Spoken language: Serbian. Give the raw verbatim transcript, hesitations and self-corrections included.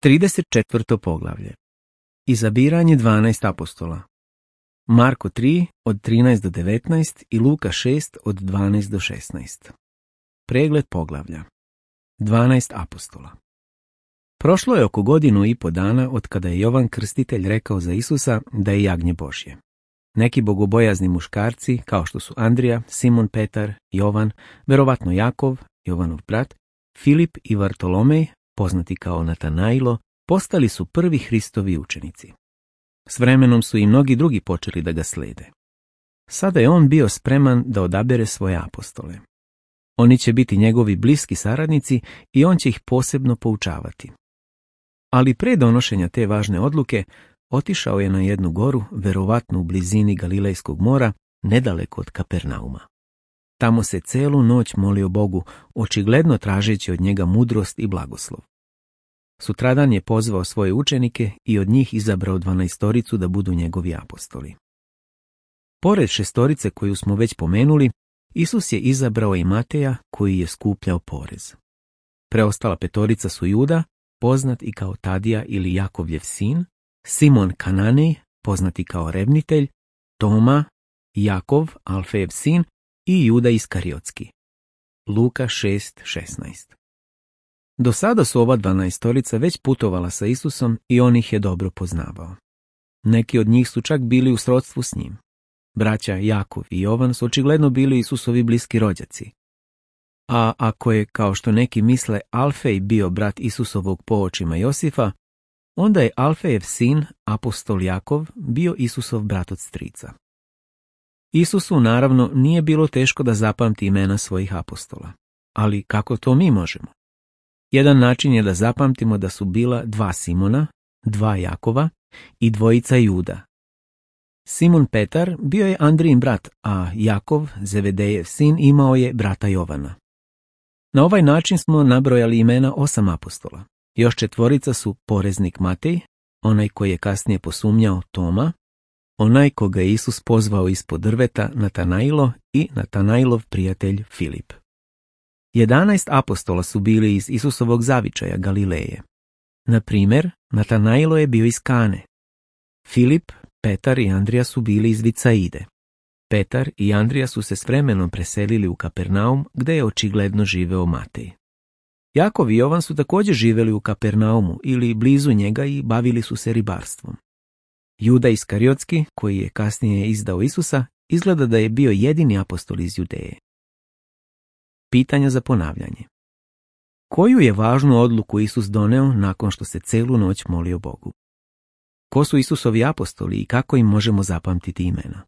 trideset četvrto poglavlje. Izabiranje dvanaest apostola. Marko tri od trinaest do devetnaest i Luka šest od dvanaest do šesnaest. Pregled poglavlja. dvanaest apostola. Prošlo je oko godinu i po dana od kada je Jovan Krstitelj rekao za Isusa da je jagnje Božje. Neki bogobojazni muškarci, kao što su Andrija, Simon Petar, Jovan, verovatno Jakov, Jovanov brat, Filip i Vartolomej, poznati kao Natanailo, postali su prvi Hristovi učenici. S vremenom su i mnogi drugi počeli da ga slede. Sada je on bio spreman da odabere svoje apostole. Oni će biti njegovi bliski saradnici i on će ih posebno poučavati. Ali pre donošenja te važne odluke, otišao je na jednu goru, verovatno u blizini Galilejskog mora, nedaleko od Kapernauma. Tamo se celu noć molio Bogu, očigledno tražeći od njega mudrost i blagoslov. Sutradan je pozvao svoje učenike i od njih izabrao dvanaestoricu da budu njegovi apostoli. Pored šestorice koju smo već pomenuli, Isus je izabrao i Mateja koji je skupljao porez. Preostala petorica su Juda, poznat i kao Tadija ili Jakovljev sin, Simon Kananej, poznati kao revnitelj, Toma, Jakov, Alfejev sin i Juda Iskariotski. Luka šest šesnaest. Do sada su ova dvanaestorica već putovala sa Isusom i on ih je dobro poznavao. Neki od njih su čak bili u srodstvu s njim. Braća Jakov i Jovan su očigledno bili Isusovi bliski rođaci. A ako je, kao što neki misle, Alfej bio brat Isusovog po očima Josifa, onda je Alfejev sin, apostol Jakov, bio Isusov brat od strica. Isusu, naravno, nije bilo teško da zapamti imena svojih apostola. Ali kako to mi možemo? Jedan način je da zapamtimo da su bila dva Simona, dva Jakova i dvojica Juda. Simon Petar bio je Andrijin brat, a Jakov, Zevedejev sin, imao je brata Jovana. Na ovaj način smo nabrojali imena osam apostola. Još četvorica su poreznik Matej, onaj koji je kasnije posumnjao Toma, onaj koga je Isus pozvao ispod drveta Natanailo i Natanailov prijatelj Filip. Jedanaest apostola su bili iz Isusovog zavičaja Galileje. Na primjer, Natanailo je bio iz Kane. Filip, Petar i Andrija su bili iz Vicaide. Petar i Andrija su se s vremenom preselili u Kapernaum, gde je očigledno živeo Matej. Jakov i Jovan su također živjeli u Kapernaumu ili blizu njega i bavili su se ribarstvom. Juda Iskariotski, koji je kasnije izdao Isusa, izgleda da je bio jedini apostol iz Judeje. Pitanja za ponavljanje. Koju je važnu odluku Isus doneo nakon što se celu noć molio Bogu? Ko su Isusovi apostoli i kako im možemo zapamtiti imena?